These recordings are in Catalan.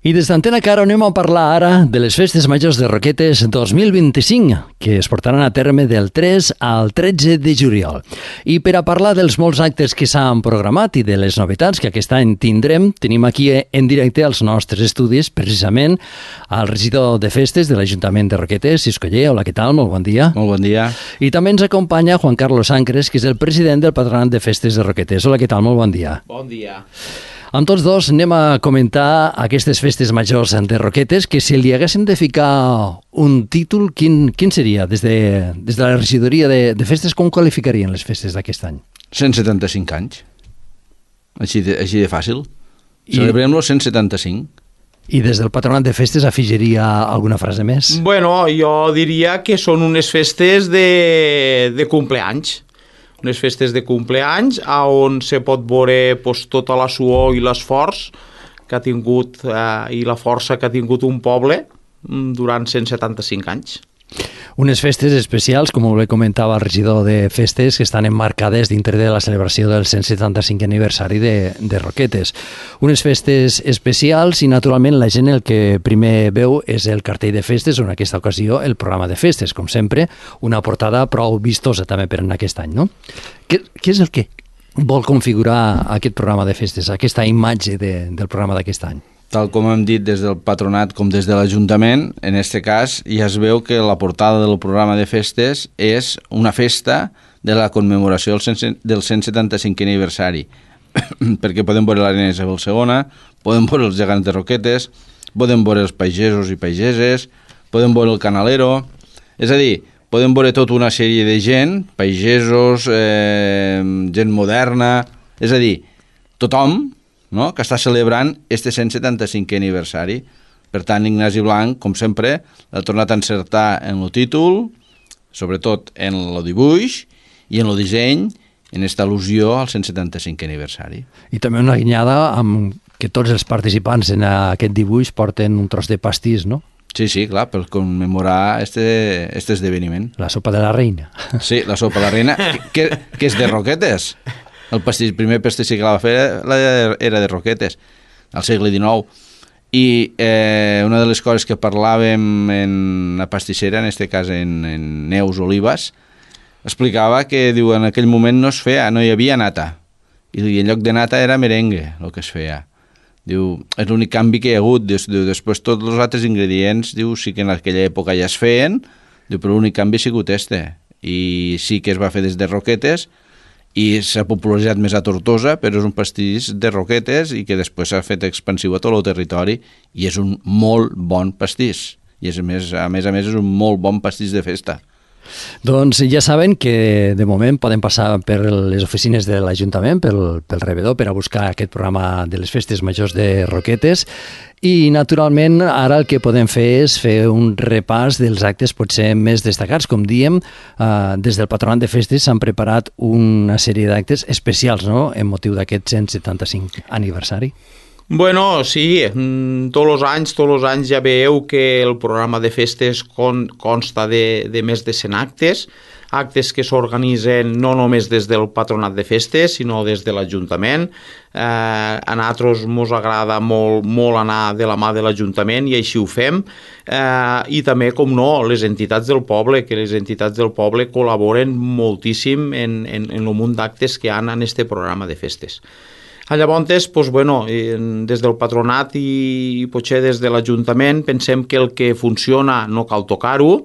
I des d'Antena Caro anem a parlar ara de les festes majors de Roquetes 2025, que es portaran a terme del 3 al 13 de juliol. I per a parlar dels molts actes que s'han programat i de les novetats que aquest any tindrem, tenim aquí en directe als nostres estudis, precisament, al regidor de festes de l'Ajuntament de Roquetes, Cisco Oller. Hola, què tal? Molt bon dia. Molt bon dia. I també ens acompanya Juan Carlos Ancres, que és el president del Patronat de Festes de Roquetes. Hola, què tal? Molt bon dia. Bon dia. Amb tots dos anem a comentar aquestes festes majors de Roquetes, que si li haguéssim de ficar un títol, quin seria? Des de la regidoria de festes, com qualificarien les festes d'aquest any? 175 anys. Així de fàcil. Celebrem-lo 175. I des del Patronat de Festes afegiria alguna frase més? Bueno, jo diria que són unes festes de compleanys. Unes festes de compleanys on se pot veure tota la suor i l'esforç que ha tingut i la força que ha tingut un poble durant 175 anys. Unes festes especials, com bé comentava el regidor de festes, que estan emmarcades dintre de la celebració del 175 aniversari de Roquetes. Unes festes especials i, naturalment, la gent el que primer veu és el cartell de festes, o en aquesta ocasió el programa de festes, com sempre, una portada prou vistosa també per en aquest any, no? Què és el que vol configurar aquest programa de festes, aquesta imatge del programa d'aquest any? Tal com hem dit des del patronat com des de l'Ajuntament, en aquest cas ja es veu que la portada del programa de festes és una festa de la commemoració del 175 aniversari, perquè podem veure l'Arena Isabel II, podem veure els gegants de Roquetes, podem veure els pagesos i pageses, podem veure el canalero, és a dir, podem veure tota una sèrie de gent, pagesos, gent moderna, és a dir, tothom, no?, que està celebrant este 175 aniversari. Per tant, Ignasi Blanc, com sempre, l'ha tornat a encertar en el títol, sobretot en el dibuix i en el disseny, en esta al·lusió al 175 aniversari. I també una guinyada amb que tots els participants en aquest dibuix porten un tros de pastís, no? Sí, clar, per commemorar este esdeveniment. La sopa de la reina. Sí, la sopa de la reina, que és de Roquetes. El primer pastisser que la va fer era de Roquetes, al segle XIX. I una de les coses que parlàvem en la pastissera, en aquest cas en Neus Olivas, explicava que diu, en aquell moment no hi havia nata, i en lloc de nata era merengue el que es feia. Diu, és l'únic canvi que hi ha hagut. Després tots els altres ingredients, diu, sí que en aquella època ja es feien, diu, però l'únic canvi ha sigut este. I sí que es va fer des de Roquetes, i s'ha popularitzat més a Tortosa, però és un pastís de Roquetes i que després s'ha fet expansiu a tot el territori i és un molt bon pastís. I a més a més és un molt bon pastís de festa. Doncs ja saben que de moment poden passar per les oficines de l'Ajuntament, pel rebedor, per a buscar aquest programa de les festes majors de Roquetes. I, naturalment, ara el que podem fer és fer un repàs dels actes potser més destacats. Com diem, des del Patronat de Festes s'han preparat una sèrie d'actes especials, no?, en motiu d'aquest 175 aniversari. Bueno, sí, tots els anys ja veieu que el programa de festes consta de més de 100 actes que s'organitzen no només des del Patronat de Festes, sinó des de l'Ajuntament. A nosaltres ens agrada molt anar de la mà de l'Ajuntament i així ho fem. I també, com no, les entitats del poble, que les entitats del poble col·laboren moltíssim en el munt d'actes que hi ha en aquest programa de festes. Llavors, des del patronat i potser des de l'Ajuntament pensem que el que funciona no cal tocar-ho,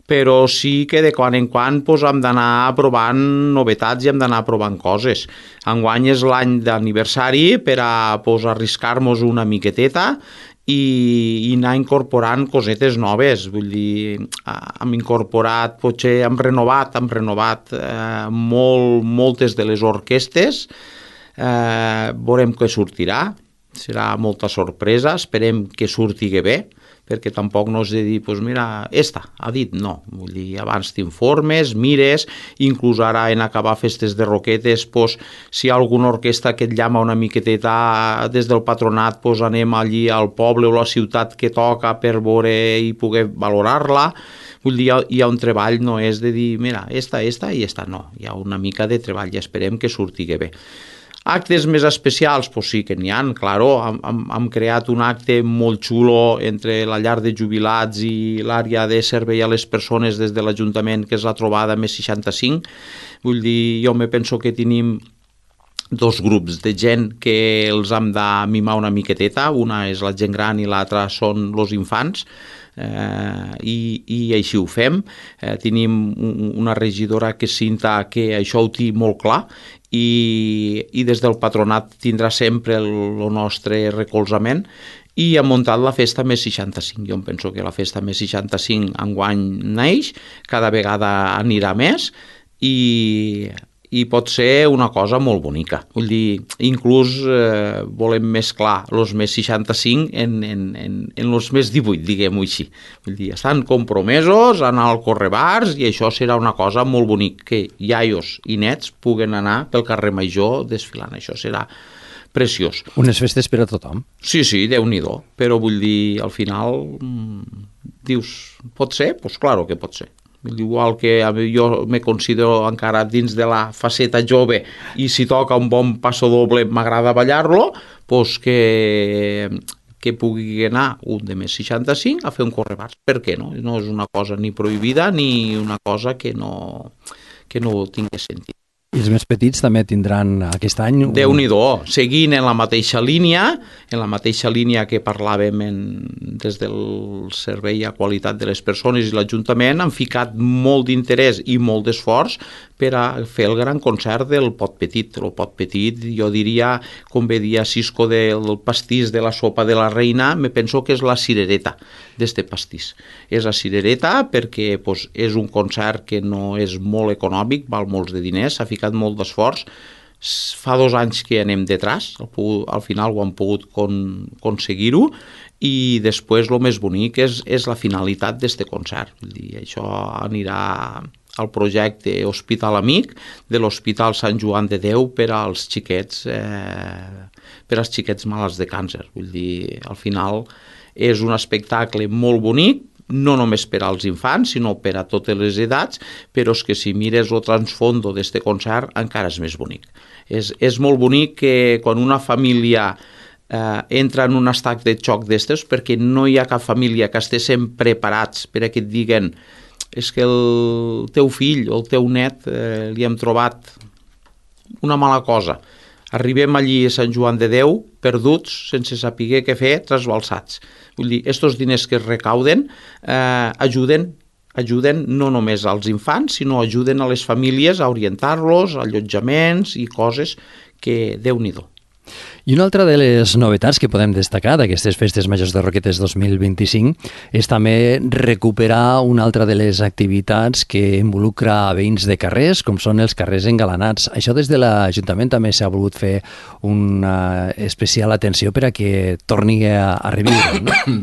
però sí que de quan en quan hem d'anar provant novetats i hem d'anar provant coses. Enguany és l'any d'aniversari per a arriscar-nos una miqueteta i anar incorporant cosetes noves. Vull dir, hem incorporat, potser hem renovat moltes de les orquestes. Veurem què sortirà, serà molta sorpresa, esperem que surti bé, perquè tampoc no és de dir, doncs mira, ha dit no, vull dir, abans t'informes, mires, inclús ara en acabar festes de Roquetes, si hi ha alguna orquestra que et llama una miqueteta des del patronat, anem allí al poble o a la ciutat que toca per veure i poder valorar-la. Vull dir, hi ha un treball, no és de dir, mira, i esta no, hi ha una mica de treball i esperem que surti bé. Actes més especials, pues sí que n'hi ha, claro. Hem creat un acte molt xulo entre la llar de jubilats i l'àrea de servei a les persones des de l'Ajuntament, que és la trobada més 65. Vull dir, jo me penso que tenim dos grups de gent que els hem de mimar una miqueteta, una és la gent gran i l'altra són els infants, i així ho fem. Tenim una regidora que és Cinta que això ho té molt clar, i des del patronat tindrà sempre el nostre recolzament, i hem muntat la festa més 65. Jo em penso que la festa més 65 enguany neix, cada vegada anirà més, i pot ser una cosa molt bonica. Vull dir, inclús volem mesclar els més 65 en els més 18, diguem-ho així. Vull dir, estan compromesos a anar al correbars, i això serà una cosa molt bonic, que iaios i nets puguen anar pel carrer Major desfilant. Això serà preciós. Unes festes per a tothom. Sí, Déu-n'hi-do, però vull dir, al final dius, pot ser? Doncs claro que pot ser. Igual que jo me considero encara dins de la faceta jove, i si toca un bon passo doble m'agrada ballar-lo, doncs que pugui anar un de més 65 a fer un correbars. Per què no? No és una cosa ni prohibida ni una cosa que no tingui sentit. I els més petits també tindran aquest any... Déu-n'hi-do, seguint en la mateixa línia que parlàvem des del servei a qualitat de les persones i l'Ajuntament, han ficat molt d'interès i molt d'esforç per a fer el gran concert del Pot Petit. El Pot Petit, jo diria, com bé dia Cisco del pastís de la sopa de la reina, me penso que és la cirereta d'este pastís. És la cirereta perquè és un concert que no és molt econòmic, val molts de diners, s'ha ficat molt d'esforç. Fa 2 anys que anem detrás, al final ho hem pogut aconseguir-ho, i després el més bonic és la finalitat d'este concert. Vull dir, això anirà al projecte Hospital Amic de l'Hospital Sant Joan de Déu per als xiquets malalts de càncer. Vull dir, al final és un espectacle molt bonic, no només per als infants, sinó per a totes les edats, però és que si mires el transfondo d'este concert encara és més bonic. És molt bonic que quan una família entra en un estat de xoc d'estes, perquè no hi ha cap família que estiguessin preparats per a que et diguen és que el teu fill o el teu net li hem trobat una mala cosa. Arribem allí a Sant Joan de Déu, perduts, sense saber què fer, trasbalsats. Vull dir, estos diners que es recauden ajuden no només als infants, sinó ajuden a les famílies a orientar-los, a allotjaments i coses que Déu-n'hi-do. I una altra de les novetats que podem destacar d'aquestes Festes Majors de Roquetes 2025 és també recuperar una altra de les activitats que involucra veïns de carrers, com són els carrers engalanats. Això des de l'Ajuntament també s'ha volgut fer una especial atenció per a que torni a reviure, no?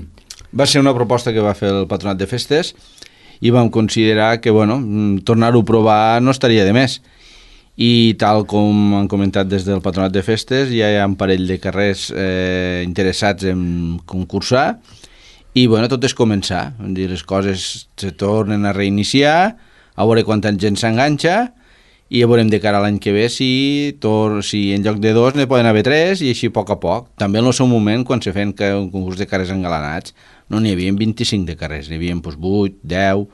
Va ser una proposta que va fer el Patronat de Festes i vam considerar que, tornar-ho a provar no estaria de més. I tal com han comentat des del Patronat de Festes, ja hi ha un parell de carrers interessats en concursar, i tot és començar. Les coses se tornen a reiniciar, a veure quanta gent s'enganxa, i ja veurem de cara a l'any que ve si en lloc de 2 ne poden haver 3, i així a poc. També en el seu moment, quan se feien un concurs de carrers engalanats, no n'hi havia 25 de carrers, n'hi havia 8, 10,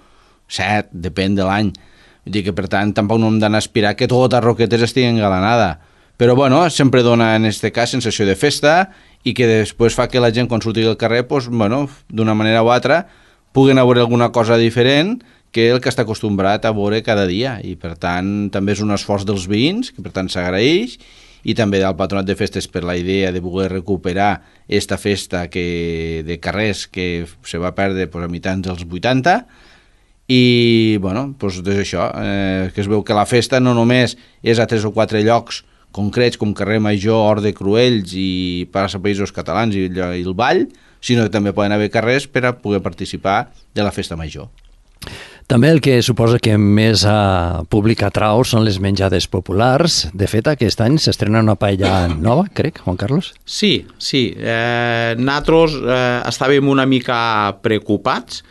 7, depèn de l'any. Vull dir que, per tant, tampoc no hem d'anar a aspirar que tota Roquetes estigui engalanada. Però, sempre dona, en aquest cas, sensació de festa, i que després fa que la gent, quan surti al carrer, d'una manera o altra, puguen veure alguna cosa diferent que el que està acostumbrat a veure cada dia. I, per tant, també és un esforç dels veïns, que, per tant, s'agraeix, i també del Patronat de Festes per la idea de poder recuperar esta festa de carrers que se va perdre a mitjans dels 80. I, és això, que es veu que la festa no només és a 3 o 4 llocs concrets com Carrer Major, Hort de Cruells i Plaça Països Catalans i el Vall, sinó que també poden haver carrers per a poder participar de la festa major. També el que suposa que més públic atrau són les menjades populars. De fet, aquest any s'estrena una paella nova, crec, Juan Carlos? Sí. Nosaltres estàvem una mica preocupats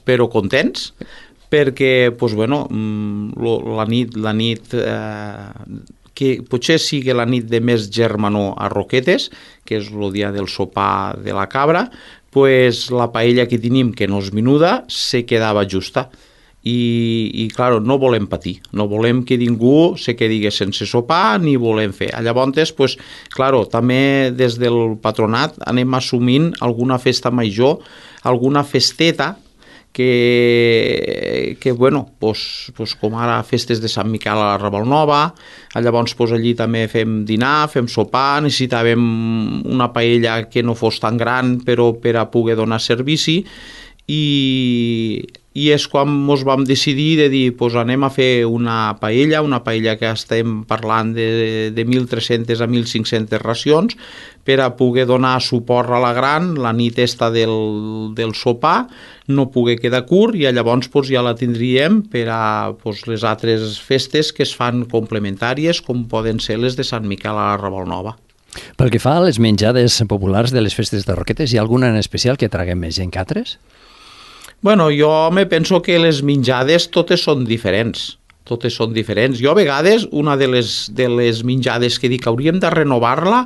però contents, perquè la nit que potser sigui la nit de més germanor a Roquetes, que és el dia del sopar de la cabra, pues la paella que tenim, que no és menuda, se quedava justa. I clar, no volem patir, no volem que ningú se quedi sense sopar, ni volem fer. Llavors, pues, clar, també des del patronat anem assumint alguna festa major, alguna festeta, que bueno, pues, com ara festes de Sant Miquel a la Ravalnova, llavors pues, allí també fem dinar, fem sopar, necessitàvem una paella que no fos tan gran però per a poder donar servici, i és quan ens vam decidir de dir pues anem a fer una paella que estem parlant de 1.300 a 1.500 racions per a poder donar suport a la gran la nit esta del sopar, no poder quedar curt, i llavors pues, ja la tindríem per a pues, les altres festes que es fan complementàries, com poden ser les de Sant Miquel a la Ravalnova. Pel que fa a les menjades populars de les festes de Roquetes, hi ha alguna en especial que traguem més gent que altres? Bueno, jo me penso que les menjades totes són diferents. Jo a vegades una de les menjades que dic hauríem de renovar-la,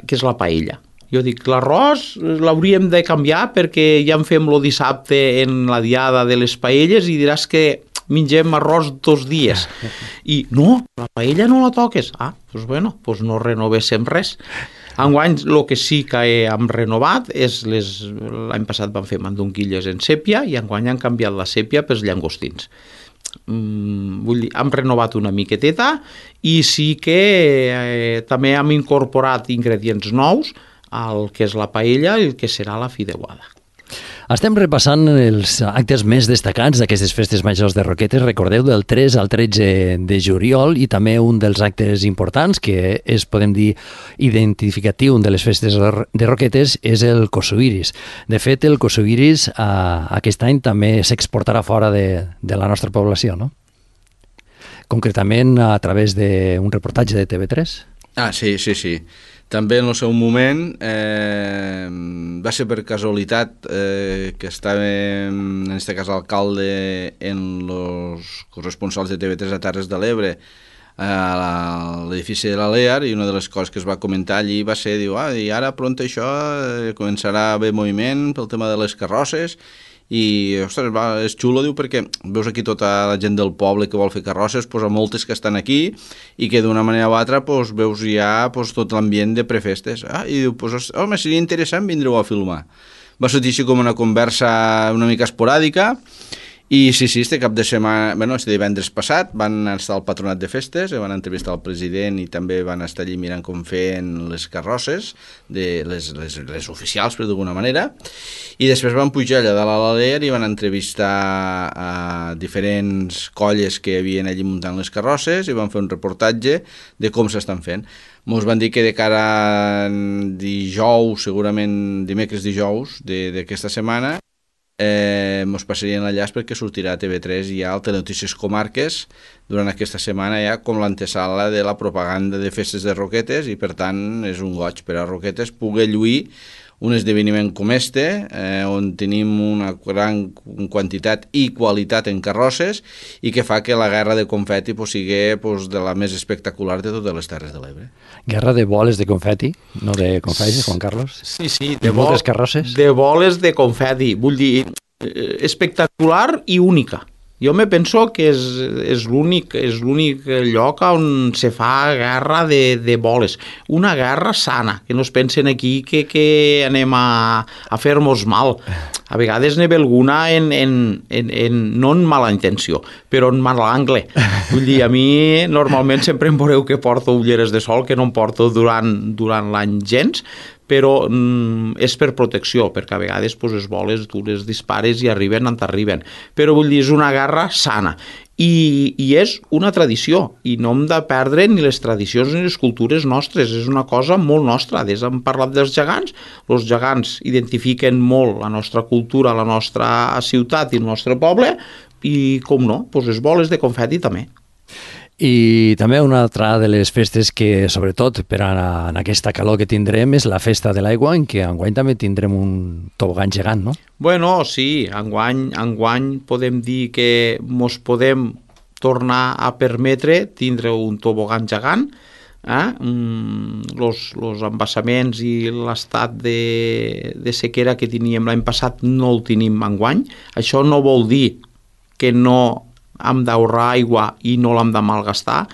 que és la paella. Jo dic, l'arròs l'hauríem de canviar perquè ja en fem el dissabte en la diada de les paelles i diràs que mengem arròs 2 dies. I no, la paella no la toques. Doncs bueno, doncs no renovéssim res. Enguany, el que sí que hem renovat és l'any passat vam fer mandonguilles en sèpia i enguany han canviat la sèpia pels llangostins. Vull dir, hem renovat una miqueteta i sí que també hem incorporat ingredients nous al que és la paella i el que serà la fideuada. Estem repassant els actes més destacats d'aquestes festes majors de Roquetes. Recordeu, del 3 al 13 de juliol, i també un dels actes importants que és, podem dir, identificatiu de les festes de Roquetes és el Kossubiris. De fet, el Kossubiris aquest any també s'exportarà fora de la nostra població, no? Concretament a través d'un reportatge de TV3. Sí. També en el seu moment va ser per casualitat que estàvem, en aquest cas l'alcalde, en els corresponsals de TV3 a Terres de l'Ebre, a l'edifici de l'Alear, i una de les coses que es va comentar allí va ser, i ara pront això començarà a haver moviment pel tema de les carrosses, i ostres, és xulo, diu, perquè veus aquí tota la gent del poble que vol fer carrosses, pues, a moltes que estan aquí i que d'una manera o altra pues, veus ja pues, tot l'ambient de prefestes. I diu, pues, home, seria interessant vindre-ho a filmar. Va sortir així com una conversa una mica esporàdica. I sí, este cap de setmana, este divendres passat, van estar al patronat de festes, van entrevistar el president i també van estar allí mirant com feien les carrosses, les oficials, per d'alguna manera, i després van pujar allà dalt a l'Alear i van entrevistar a diferents colles que havien allí muntant les carrosses i van fer un reportatge de com s'estan fent. Ens van dir que de cara a dijous, segurament dimecres dijous d'aquesta setmana, ens passarien l'enllaç perquè sortirà a TV3 ja al Telenotícies Comarques durant aquesta setmana ja com l'antesala de la propaganda de festes de Roquetes, i per tant és un goig per a Roquetes poder lluir un esdeveniment com on tenim una gran quantitat i qualitat en carrosses i que fa que la guerra de confeti sigui de la més espectacular de totes les Terres de l'Ebre. Guerra de boles de confeti, no de confeti, Juan Carlos? Sí, de moltes carrosses? De boles de confeti, vull dir, espectacular i única. Jo me penso que és l'únic lloc on se fa guerra de boles. Una guerra sana, que no es pensen aquí que anem a fer-nos mal. A vegades n'hi ha alguna no en mala intenció, però en mal angle. Vull dir, a mi normalment sempre em veureu que porto ulleres de sol, que no em porto durant l'any gens, però és per protecció, perquè a vegades les boles tu les dispares i arriben on t'arriben. Però vull dir, és una guerra sana. I és una tradició, i no hem de perdre ni les tradicions ni les cultures nostres, és una cosa molt nostra. Hem parlat dels gegants, els gegants identifiquen molt la nostra cultura, la nostra ciutat i el nostre poble, i com no, les boles de confeti també. I també una altra de les festes que, sobretot per en aquesta calor que tindrem, és la festa de l'aigua, en què enguany també tindrem un tobogan gegant, no? Bueno, sí, enguany podem dir que mos podem tornar a permetre tindre un tobogan gegant, los embassaments i l'estat de sequera que teníem l'any passat no el tenim enguany. Això no vol dir que no hem d'ahorrar aigua i no l'hem de malgastar.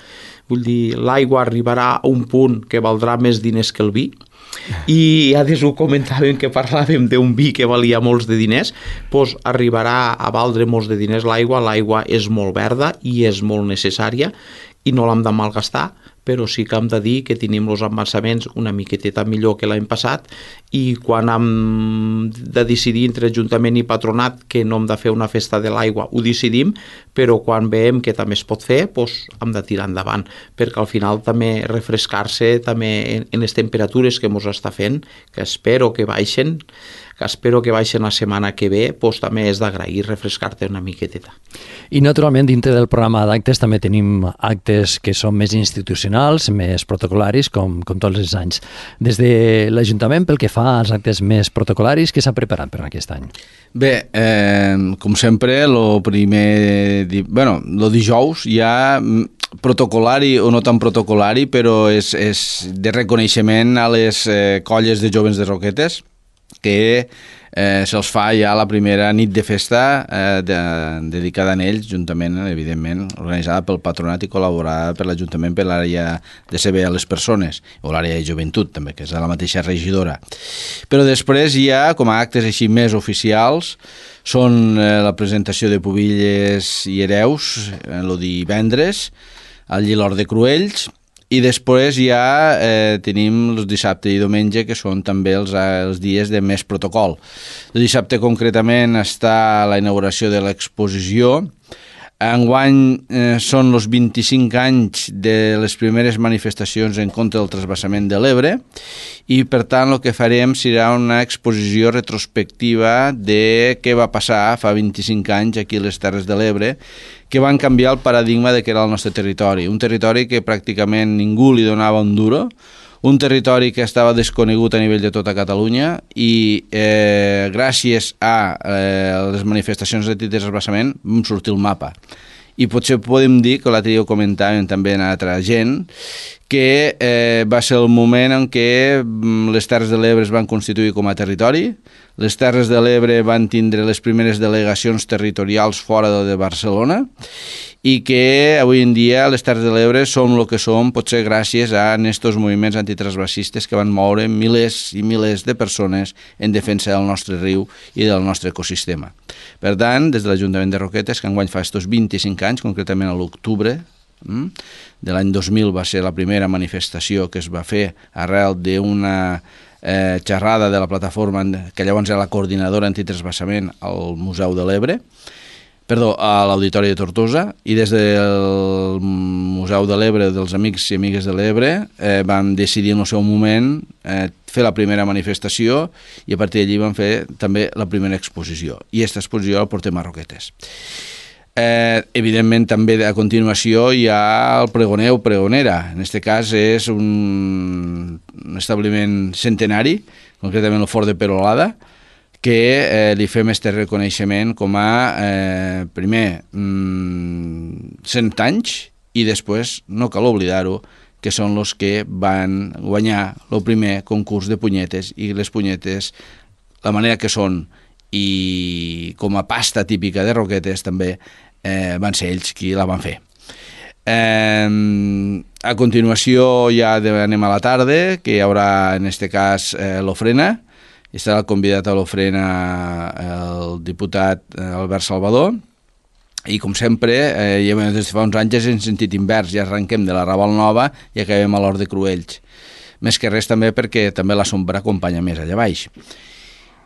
Vull dir, l'aigua arribarà a un punt que valdrà més diners que el vi, i ara ho comentàvem que parlàvem d'un vi que valia molts de diners, doncs arribarà a valdre molts de diners l'aigua és molt verda i és molt necessària i no l'hem de malgastar, però sí que hem de dir que tenim els embalsaments una miqueteta millor que l'any passat, i quan hem de decidir entre Ajuntament i Patronat que no hem de fer una festa de l'aigua, ho decidim, però quan veiem que també es pot fer, doncs hem de tirar endavant, perquè al final també refrescar-se també en les temperatures que ens està fent, que espero que baixen la setmana que ve, doncs també és d'agrair refrescar-te una miqueteta. I naturalment dintre del programa d'actes també tenim actes que són més institucionals, més protocolaris, com tots els anys. Des de l'Ajuntament, pel que fa als actes més protocolaris, què s'ha preparat per aquest any? Bé, com sempre, el dijous hi ha protocolari o no tan protocolari, però és de reconeixement a les colles de joves de Roquetes, que se'ls fa ja la primera nit de festa dedicada a ells, juntament, evidentment, organitzada pel Patronat i col·laborada per l'Ajuntament per l'àrea de servei a les persones, o l'àrea de joventut també, que és la mateixa regidora. Però després hi ha, com a actes així més oficials, són la presentació de pubilles i hereus, el divendres, al Llilor de Cruells, i després ja tenim els dissabte i diumenge, que són també els dies de més protocol. El dissabte concretament està la inauguració de l'exposició. Enguany són els 25 anys de les primeres manifestacions en contra del transvasament de l'Ebre, i per tant el que farem serà una exposició retrospectiva de què va passar fa 25 anys aquí a les Terres de l'Ebre, que van canviar el paradigma de què era el nostre territori. Un territori que pràcticament ningú li donava un duro, un territori que estava desconegut a nivell de tota Catalunya, i gràcies a les manifestacions d'antitransvasament vam sortir el mapa. I potser podem dir, que l'altre dia ho comentàvem també a altra gent, que va ser el moment en què les Terres de l'Ebre es van constituir com a territori, les Terres de l'Ebre van tindre les primeres delegacions territorials fora de Barcelona, i que avui en dia les Terres de l'Ebre som el que som, potser gràcies a aquests moviments antitransvasistes que van moure milers i milers de persones en defensa del nostre riu i del nostre ecosistema. Per tant, des de l'Ajuntament de Roquetes, que enguany fa estos 25 anys, concretament a l'octubre de l'any 2000 va ser la primera manifestació que es va fer arrel d'una xerrada de la plataforma que llavors era la coordinadora antitransvasament al Museu de l'Ebre, a l'Auditori de Tortosa, i des del Museu de l'Ebre, dels Amics i Amigues de l'Ebre, vam decidir en el seu moment fer la primera manifestació, i a partir d'allí vam fer també la primera exposició, i aquesta exposició la portem a Roquetes. Evidentment també a continuació hi ha el pregoner o pregonera. En aquest cas és un establiment centenari, concretament el Fort de Perolada, que li fem este reconeixement com a primer 100 anys, i després no cal oblidar-ho, que són els que van guanyar el primer concurs de punyetes, i les punyetes, la manera que són i com a pasta típica de Roquetes també van ser ells qui la van fer. A continuació ja anem a la tarda, que hi haurà en aquest cas l'ofrena, i estarà convidat a l'ofrena el diputat Albert Salvador, i com sempre, des de fa uns anys en sentit invers, ja arrenquem de la Raval Nova i acabem a l'Hort de Cruells. Més que res també perquè també la sombra acompanya més allà baix.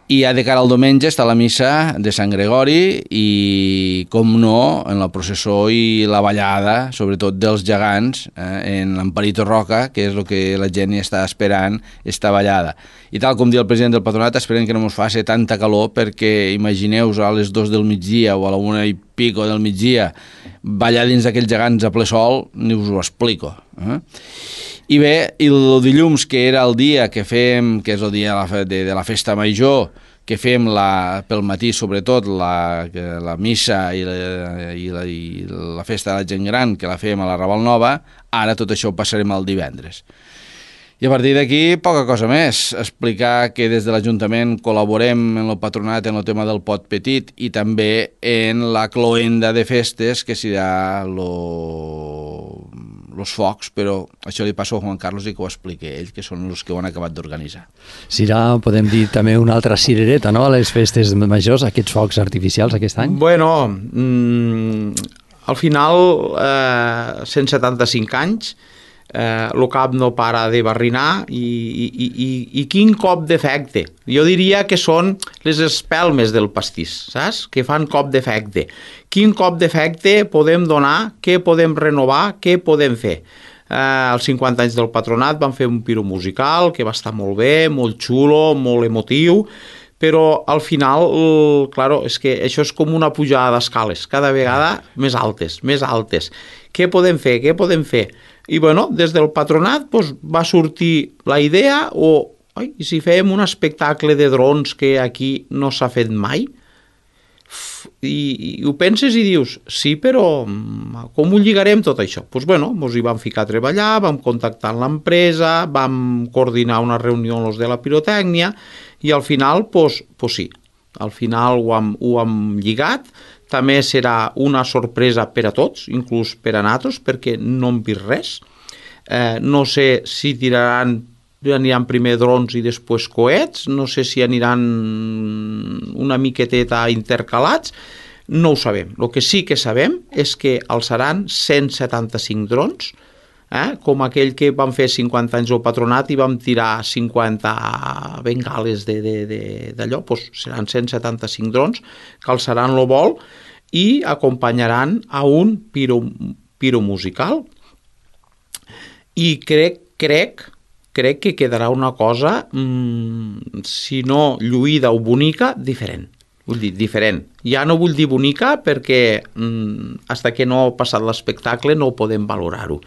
I ja de cara al diumenge està la missa de Sant Gregori i, com no, en la processó i la ballada, sobretot dels gegants, en l'Amparito Roca, que és el que la gent hi està esperant, esta ballada. I tal com diu el president del Patronat, esperem que no ens faci tanta calor, perquè imagineu-vos a les 2 del migdia o a la 1 pico del migdia, ballar dins d'aquells gegants a ple sol, ni us ho explico. I bé, el dilluns, que era el dia que fem, que és el dia de la festa major, que fem pel matí sobretot la missa i la festa de la gent gran, que la fem a la Raval Nova, ara tot això ho passarem al divendres. I a partir d'aquí, poca cosa més. Explicar que des de l'Ajuntament col·laborem en el patronat en el tema del pot petit i també en la cloenda de festes, que serà els focs, però això li passo a Juan Carlos i que ho expliqui ell, que són els que ho han acabat d'organitzar. Serà, podem dir, també una altra cirereta, no?, a les festes majors, aquests focs artificials aquest any? Bueno, al final, 175 anys, el cap no para de barrinar i quin cop d'efecte. Jo diria que són les espelmes del pastís, saps? Que fan cop d'efecte. Quin cop d'efecte podem donar, què podem renovar, què podem fer? Als 50 anys del patronat vam fer un piro musical que va estar molt bé, molt xulo, molt emotiu, però al final, claro, és que això és com una pujada d'escales, cada vegada més altes, més altes. Què podem fer? Què podem fer? I bueno, des del patronat va sortir la idea, i si fèiem un espectacle de drons que aquí no s'ha fet mai? I ho penses i dius, sí, però com ho lligarem tot això? Doncs bueno, ens hi vam ficar a treballar, vam contactar amb l'empresa, vam coordinar una reunió amb els de la pirotècnia i al final, sí, al final ho hem lligat. També serà una sorpresa per a tots, inclús per a nosaltres, perquè no hem vist res. No sé si aniran primer drons i després coets, no sé si aniran una miqueteta intercalats, no ho sabem. El que sí que sabem és que alçaran 175 drons, com aquell que vam fer 50 anys al patronat i vam tirar 50 bengales d'allò, seran 175 drons que alçaran el vol i acompanyaran a un piro musical. I crec que quedarà una cosa, si no lluïda o bonica, diferent. Vull dir, diferent. Ja no vull dir bonica perquè fins que no ha passat l'espectacle no podem valorar-ho.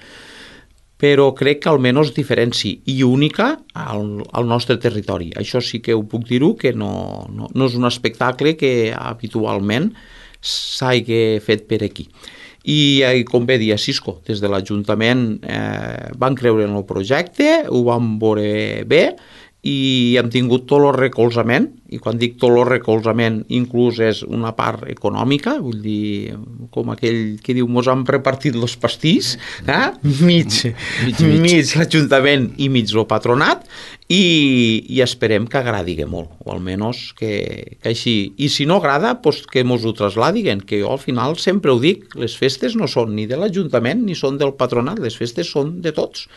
Però crec que almenys diferent sí, i única al nostre territori. Això sí que ho puc dir-ho, que no és un espectacle que habitualment s'hagi fet per aquí. I com bé dia Cisco, des de l'Ajuntament van creure en el projecte, ho van veure bé i hem tingut tot el recolzament, i quan dic tot el recolzament inclús és una part econòmica, vull dir, com aquell que diu mos han repartit els pastís, mig l'Ajuntament i mig el patronat, i esperem que agradi molt, o almenys que així, i si no agrada, que mos ho traslladiguen, que jo al final sempre ho dic, les festes no són ni de l'Ajuntament ni són del patronat, les festes són de tots,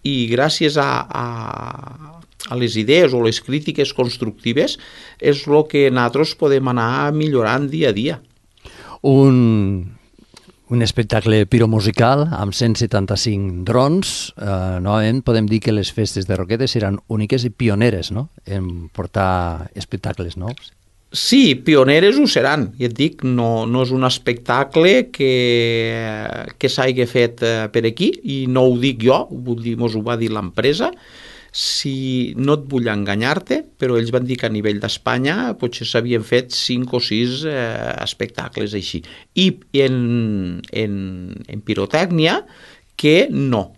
i gràcies a les idees o les crítiques constructives és el que nosaltres podem anar millorant dia a dia. Un espectacle piromusical amb 175 drons. Novament podem dir que les festes de Roquetes seran úniques i pioneres, no?, en portar espectacles nous. Sí, pioneres ho seran. Ja et dic, no és un espectacle que s'hagi fet per aquí, i no ho dic jo, mos ho va dir l'empresa. Si no et vull enganyar-te, però ells van dir que a nivell d'Espanya potser s'havien fet 5 o 6 espectacles així. I en pirotècnia que no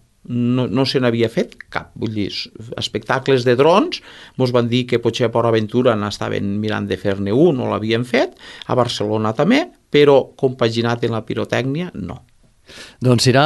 se n'havia fet cap. Vull dir, espectacles de drons, ens van dir que potser a Port Aventura n'estaven mirant de fer-ne un, no l'havien fet, a Barcelona també, però compaginat en la pirotècnia, no. Doncs serà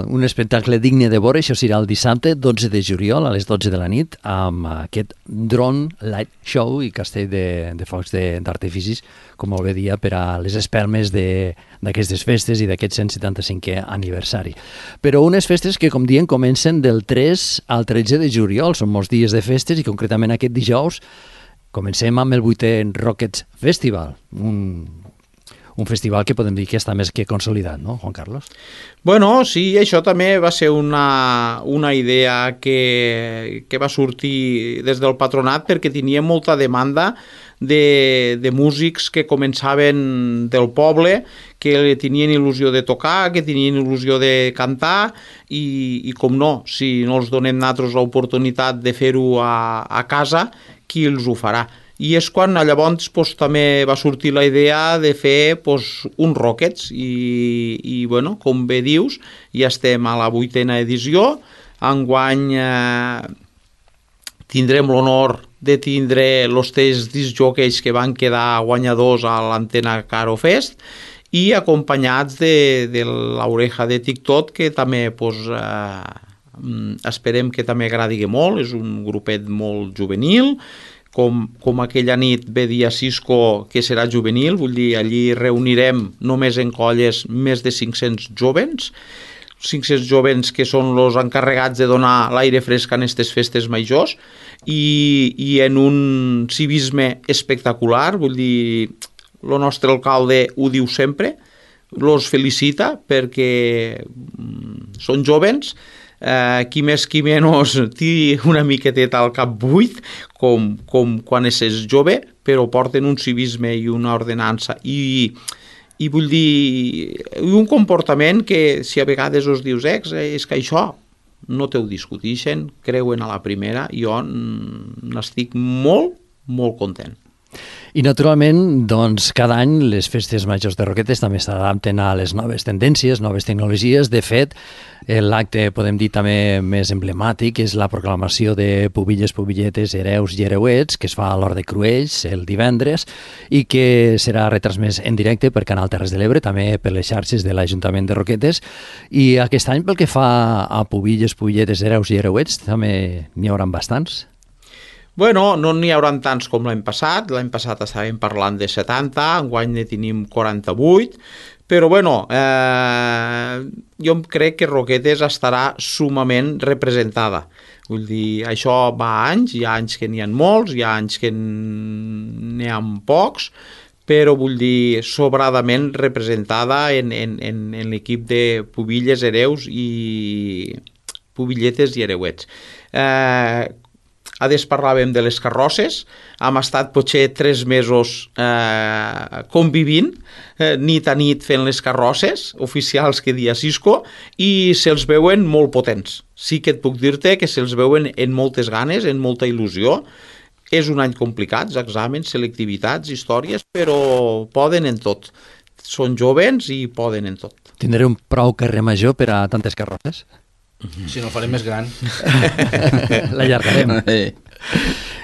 un espectacle digne de veure, això serà el dissabte 12 de juliol a les 12 de la nit amb aquest Drone Light Show i castell de focs d'artificis, com molt bé dia, per a les espelmes d'aquestes festes i d'aquest 175è aniversari. Però unes festes que, com diem, comencen del 3 al 13 de juliol, són molts dies de festes i concretament aquest dijous comencem amb el 8è Rockets Festival, un festival que podem dir que està més que consolidat, no, Juan Carlos? Bueno, sí, això també va ser una idea que va sortir des del patronat perquè tenia molta demanda de músics que començaven del poble, que tenien il·lusió de tocar, que tenien il·lusió de cantar i com no, si no els donem nosaltres l'oportunitat de fer-ho a casa, qui els ho farà? I és quan llavors també va sortir la idea de fer uns Rockets i bueno, com bé dius, ja estem a la 8ª edició. Enguany tindrem l'honor de tindre els 3 discjòqueis que van quedar guanyadors a l'Antena Caro Fest i acompanyats de l'Oreja de TikTok, que també esperem que també agradi molt. És un grupet molt juvenil, com aquella nit ve dia Cisco, que serà juvenil, vull dir, allí reunirem només en colles més de 500 jovens que són els encarregats de donar l'aire fresc en aquestes festes majors i en un civisme espectacular. Vull dir, el nostre alcalde ho diu sempre, els felicita perquè són jovens, qui més qui menys té una miqueteta al cap buit com quan és jove, però porten un civisme i una ordenança i vull dir, un comportament que si a vegades us dius és que això no te ho discuteixen, creuen a la primera. Jo n'estic molt, molt content. I naturalment, doncs, cada any les festes majors de Roquetes també s'adapten a les noves tendències, noves tecnologies. De fet, l'acte, podem dir també més emblemàtic, és la proclamació de pubilles, pubilletes, hereus i hereuets, que es fa a l'Hort de Cruells el divendres i que serà retransmès en directe per Canal Terres de l'Ebre, també per les xarxes de l'Ajuntament de Roquetes. I aquest any, pel que fa a pubilles, pubilletes, hereus i hereuets, també n'hi haurà bastants. Bueno, no n'hi haurà tants com l'any passat. L'any passat estàvem parlant de 70, enguany ne tenim 48, però bueno, jo crec que Roquetes estarà sumament representada. Vull dir, això va a anys, hi ha anys que n'hi ha molts, hi ha anys que n'hi ha pocs, però vull dir, sobradament representada en l'equip de pubilles, hereus i pubilletes i hereuets. Adés parlàvem de les carrosses, hem estat potser 3 mesos convivint, nit a nit fent les carrosses oficials que dia Cisco, i se'ls veuen molt potents. Sí que et puc dir-te que se'ls veuen en moltes ganes, en molta il·lusió. És un any complicat, exàmens, selectivitats, històries, però poden en tot. Són jovens i poden en tot. Tindreu prou carrer major per a tantes carrosses? Si no el farem més gran. L'allargarem.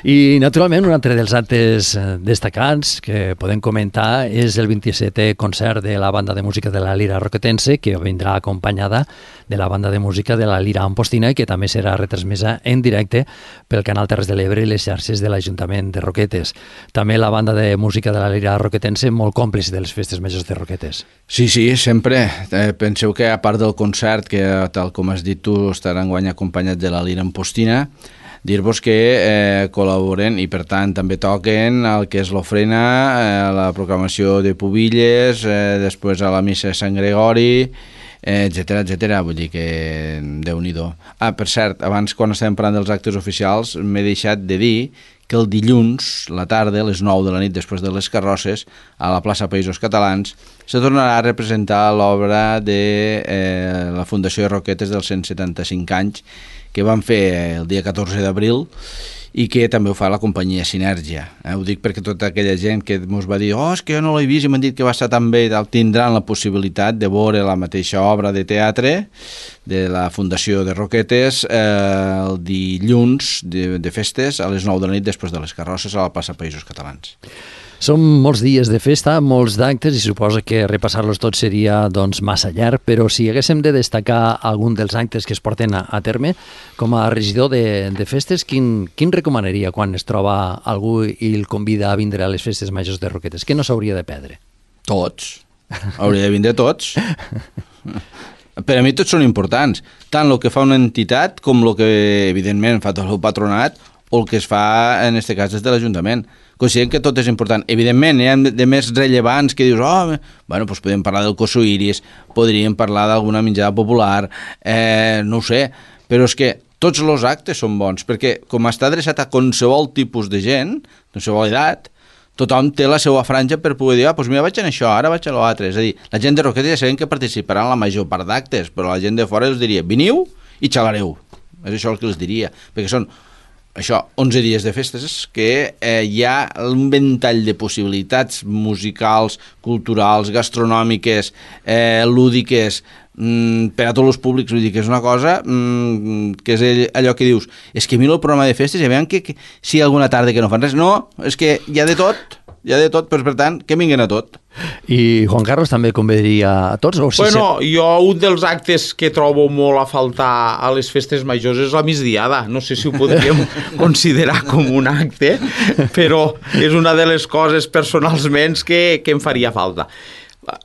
I, naturalment, un altre dels actes destacats que podem comentar és el 27è concert de la banda de música de la Lira Roquetense, que vindrà acompanyada de la banda de música de la Lira Ampostina i que també serà retransmesa en directe pel Canal Terres de l'Ebre i les xarxes de l'Ajuntament de Roquetes. També la banda de música de la Lira Roquetense, molt còmplice de les festes majors de Roquetes. Sí, sempre. Penseu que a part del concert, que tal com has dit tu, estarà enguany acompanyat de la Lira Ampostina, dir-vos que col·laboren i per tant també toquen el que és l'ofrena, la proclamació de pubilles, després a la missa de Sant Gregori, etcètera. Vull dir que Déu-n'hi-do. Per cert, abans quan estàvem parlant dels actes oficials m'he deixat de dir que el dilluns, la tarda, a les 9 de la nit, després de les carrosses, a la plaça Països Catalans, se tornarà a representar l'obra de la Fundació de Roquetes dels 175 anys, que van fer el dia 14 d'abril i que també ho fa la companyia Sinergia. Ho dic perquè tota aquella gent que ens va dir és que jo no l'he vist i m'han dit que va estar tan bé, tindran la possibilitat de veure la mateixa obra de teatre de la Fundació de Roquetes el dilluns de festes a les 9 de la nit després de les carrosses a la plaça Països Catalans. Són molts dies de festa, molts d'actes, i suposa que repassar-los tots seria doncs, massa llarg, però si haguéssim de destacar algun dels actes que es porten a terme, com a regidor de festes, quin recomanaria quan es troba algú i el convida a vindre a les festes majors de Roquetes? Què no s'hauria de perdre? Tots. Hauria de vindre tots. Per a mi tots són importants, tant el que fa una entitat com el que evidentment fa tot el patronat o el que es fa, en aquest cas, des de l'Ajuntament. Considerem que tot és important. Evidentment, hi ha de més rellevants que dius, bueno, doncs podem parlar del Cosuiris, podríem parlar d'alguna menjada popular, no ho sé, però és que tots els actes són bons, perquè com està adreçat a qualsevol tipus de gent, qualsevol edat, tothom té la seva franja per poder dir, doncs mira, vaig en això, ara vaig a l'altre. És a dir, la gent de Roquetes ja sabem que participarà en la major part d'actes, però la gent de fora els diria, veniu i xalareu. És això el que els diria, perquè són 11 dies de festes que hi ha un ventall de possibilitats musicals, culturals, gastronòmiques, lúdiques, per a tots els públics. Vull dir que és una cosa que és allò que dius, és que miro el programa de festes i veiem que si hi ha alguna tarda que no fan res. No, és que hi ha de tot, però per tant, que vinguen a tot. I Juan Carlos també convidaria a tots? O Bueno, jo un dels actes que trobo molt a faltar a les festes majors és la migdiada. No sé si ho podríem considerar com un acte, però és una de les coses personalment que em faria falta.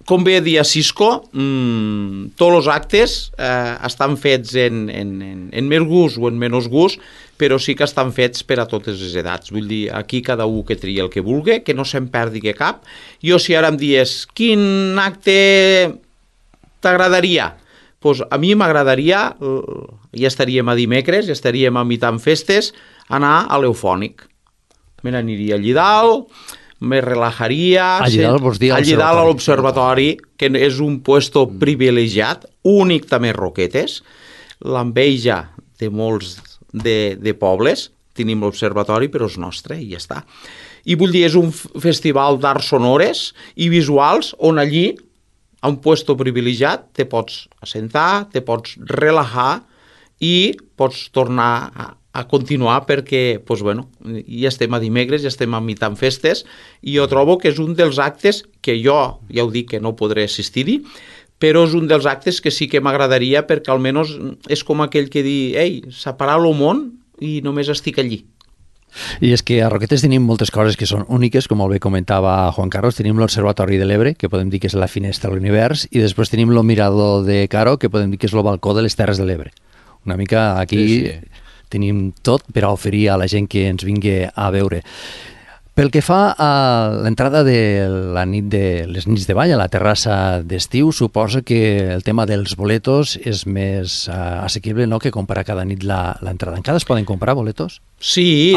Com bé dia Cisco, tots els actes estan fets en més gust o en menys gust, però sí que estan fets per a totes les edats. Vull dir, aquí cada un que tria el que vulgui, que no se'n perdi cap. Jo, si ara em dies, quin acte t'agradaria? Doncs a mi m'agradaria, ja estaríem a dimecres, ja estaríem a mitjan festes, anar a l'Eufònic. Me n'aniria allí dalt, me relajaria... Allí dalt vols dir allí dalt a l'Observatori, que és un puesto privilegiat, únic també Roquetes, l'enveja de molts de pobles, tenim l'Observatori, però és nostre, i ja està. I vull dir, és un festival d'arts sonores i visuals on allí, a un puesto privilegiat, te pots assentar, te pots relajar i pots tornar a continuar perquè, doncs, bueno, ja estem a dimecres, ja estem a mitjan festes, i jo trobo que és un dels actes que jo, ja ho dic, que no podré assistir-hi, però és un dels actes que sí que m'agradaria perquè almenys és com aquell que di, ei, separar el món i només estic allí. I és que a Roquetes tenim moltes coses que són úniques, com molt bé comentava Juan Carlos. Tenim l'Observatori de l'Ebre, que podem dir que és la finestra a l'univers, i després tenim el Mirador de Caro, que podem dir que és el balcó de les Terres de l'Ebre. Una mica aquí sí. Tenim tot per a oferir a la gent que ens vingui a veure. Pel que fa a l'entrada de la nit de les nits de ball a la terrassa d'estiu, suposa que el tema dels boletos és més assequible, no?, que comprar cada nit l'entrada. Encara es poden comprar boletos? Sí.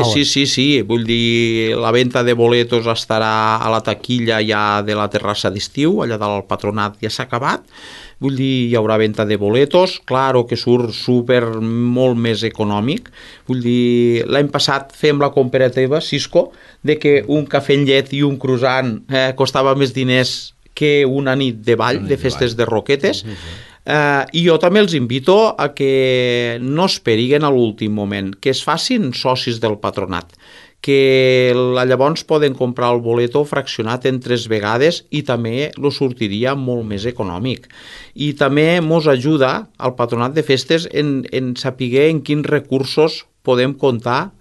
Vull dir, la venda de boletos estarà a la taquilla ja de la terrassa d'estiu, allà dalt al Patronat ja s'ha acabat. Vull dir, hi haurà venda de boletos, claro que surt molt més econòmic. Vull dir, l'any passat fem la comparativa, Cisco, de que un cafè amb llet i un croissant costava més diners que una nit de ball, de festes de Roquetes. I jo també els invito a que no esperiguen a l'últim moment, que es facin socis del Patronat, que llavors poden comprar el boleto fraccionat en 3 vegades i també lo sortiria molt més econòmic. I també mos ajuda al Patronat de Festes en saber en quins recursos podem comptar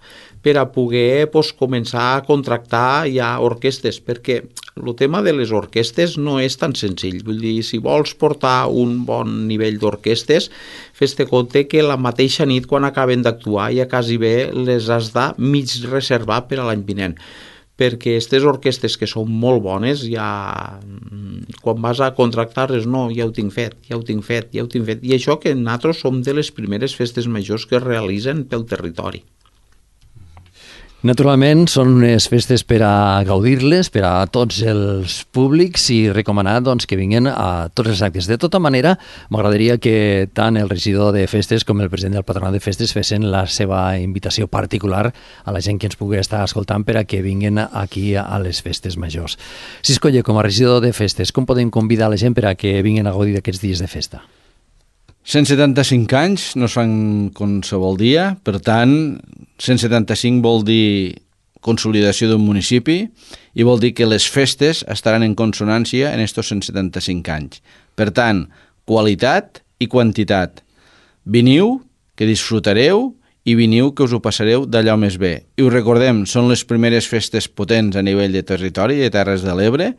per a poder començar a contractar ja orquestes, perquè el tema de les orquestes no és tan senzill. Vull dir, si vols portar un bon nivell d'orquestes, fes-te compte que la mateixa nit quan acaben d'actuar ja quasi bé les has de mig reservar per a l'any vinent, perquè aquestes orquestes que són molt bones, ja quan vas a contractar-les, no, ja ho tinc fet. I això que nosaltres som de les primeres festes majors que es realitzen pel territori. Naturalment, són unes festes per a gaudir-les, per a tots els públics, i recomanar doncs, que vinguin a tots els actes. De tota manera, m'agradaria que tant el regidor de festes com el president del Patronat de Festes fessin la seva invitació particular a la gent que ens pugui estar escoltant per a que vinguin aquí a les festes majors. Cisco Oller, com a regidor de festes, com podem convidar la gent per a que vinguin a gaudir d'aquests dies de festa? 175 anys no es fan qualsevol dia, per tant, 175 vol dir consolidació d'un municipi i vol dir que les festes estaran en consonància en estos 175 anys. Per tant, qualitat i quantitat. Veniu, que disfrutareu, i veniu que us ho passareu d'allò més bé. I us recordem, són les primeres festes potents a nivell de territori i de Terres de l'Ebre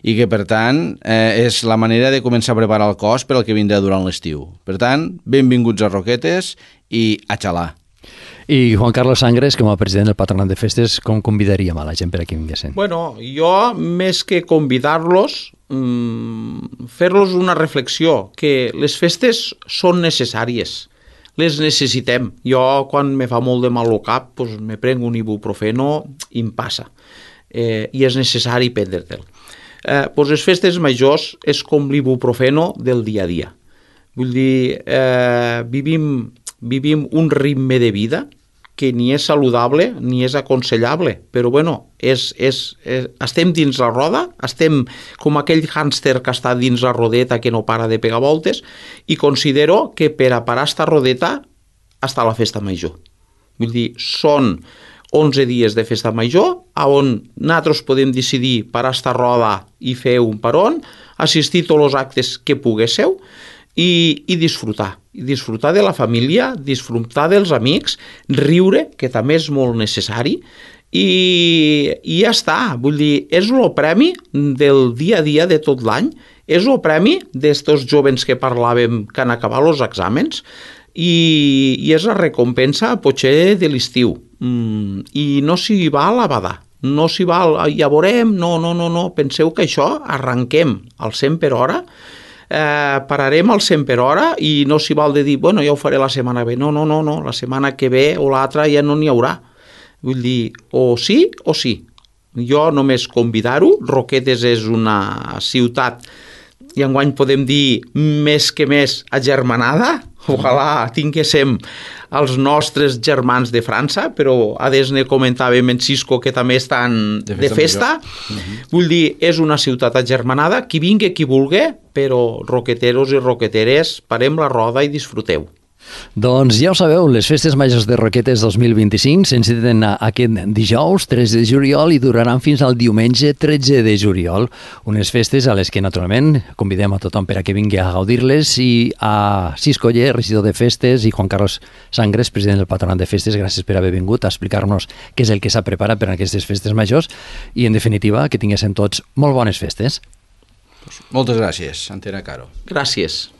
i que, per tant, és la manera de començar a preparar el cos per al que vindrà durant l'estiu. Per tant, benvinguts a Roquetes i a xalar. I Juan Carlos Sangres, com a president del Patronat de Festes, com convidaríem a la gent per aquí vinguessin? Bueno, jo, més que convidar-los, fer-los una reflexió, que les festes són necessàries, les necessitem. Jo, quan me fa molt de mal al cap, pues, me prenc un ibuprofeno i em passa. I és necessari prendre-te'l. Pues les festes majors és com l'ibuprofeno del dia a dia. Vull dir, vivim un ritme de vida que ni és saludable ni és aconsellable, però bueno, estem dins la roda, estem com aquell hàmster que està dins la rodeta que no para de pegar voltes, i considero que per a parar esta rodeta està la festa major. Vull dir, són 11 dies de festa major on nosaltres podem decidir parar esta roda i fer un paron, assistir a tots els actes que poguésseu i disfrutar de la família, disfrutar dels amics, riure, que també és molt necessari, i ja està. Vull dir, és el premi del dia a dia de tot l'any, és el premi d'estos jovens que parlàvem que han acabat els exàmens, i és la recompensa potser de l'estiu, i no s'hi val a badar, no s'hi val, ja veurem, no, penseu que això arranquem al 100 per hora, pararem al 100 per hora i no s'hi val de dir, bueno, ja ho faré la setmana ve. No, la setmana que ve o l'altra ja no n'hi haurà. Vull dir, o sí o sí. Jo només convidar-ho. Roquetes és una ciutat, i enguany podem dir més que més agermanada. Ojalà tinguéssim els nostres germans de França, però a des ne comentàvem en Cisco que també estan de festa. Vull dir, és una ciutat agermanada, qui vingui, qui vulgui, però roqueteros i roqueteres, parem la roda i disfruteu. Doncs ja ho sabeu, les Festes Majors de Roquetes 2025 s'enceten aquest dijous 3 de juliol i duraran fins al diumenge 13 de juliol. Unes festes a les que naturalment convidem a tothom per a que vingui a gaudir-les, i a Cisco Oller, regidor de festes, i Juan Carlos Sangres, president del Patronat de Festes, gràcies per haver vingut a explicar-nos què és el que s'ha preparat per a aquestes festes majors i, en definitiva, que tinguéssim tots molt bones festes. Moltes gràcies, Antena Caro. Gràcies.